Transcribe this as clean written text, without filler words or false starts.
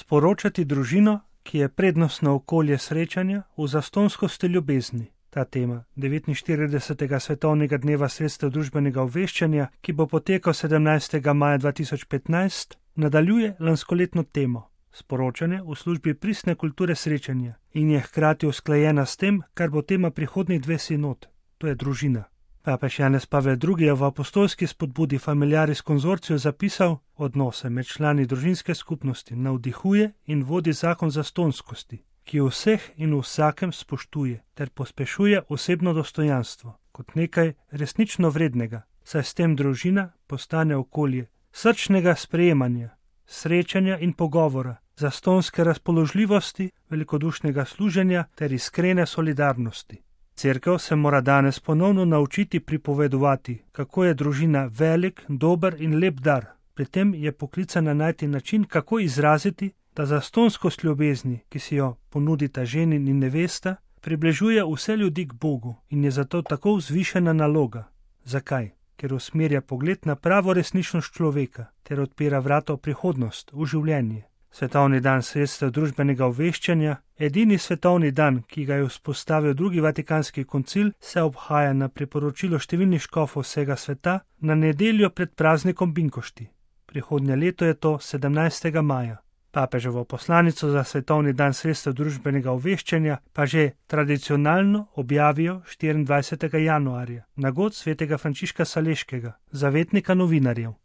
Sporočati družino, ki je prednostno okolje srečanja v zastonskosti ljubezni. Ta tema 49. svetovnega dneva sredstev družbenega obveščanja, ki bo potekal 17. maja 2015, nadaljuje lanskoletno temo sporočanje v službi pristne kulture srečanja in je hkrati usklajena s tem, kar bo tema prihodnjih 2 sinod, to je družina. Papež Janez Pavel II. Je v apostolski spodbudi Familiaris Consortio zapisal: odnose med člani družinske skupnosti navdihuje in vodi zakon zastonskosti, ki vseh in vsakem spoštuje ter pospešuje osebno dostojanstvo kot nekaj resnično vrednega, saj s tem družina postane okolje srčnega sprejemanja, srečanja in pogovora, zastonske razpoložljivosti, velikodušnega služenja ter iskrene solidarnosti. Cerkev se mora danes ponovno naučiti pripovedovati, kako je družina velik, dober in lep dar. Pri tem je poklicana najti način, kako izraziti, da zastonskost ljubezni, ki si jo ponudita ženin in nevesta, približuje vse ljudi k Bogu in je zato tako vzvišena naloga. Zakaj? Ker usmerja pogled na pravo resničnost človeka ter odpira vrata v prihodnost, v življenje. Svetovni dan sredstev družbenega obveščanja, edini svetovni dan, ki ga je vzpostavil drugi Vatikanski koncil, se obhaja na priporočilo številnih škofov vsega sveta na nedeljo pred praznikom Binkošti. Prihodnje leto je to 17. maja. Papeževo poslanico za svetovni dan sredstev družbenega obveščanja pa že tradicionalno objavijo 24. januarja na god svetega Frančiška Saleškega, zavetnika novinarjev.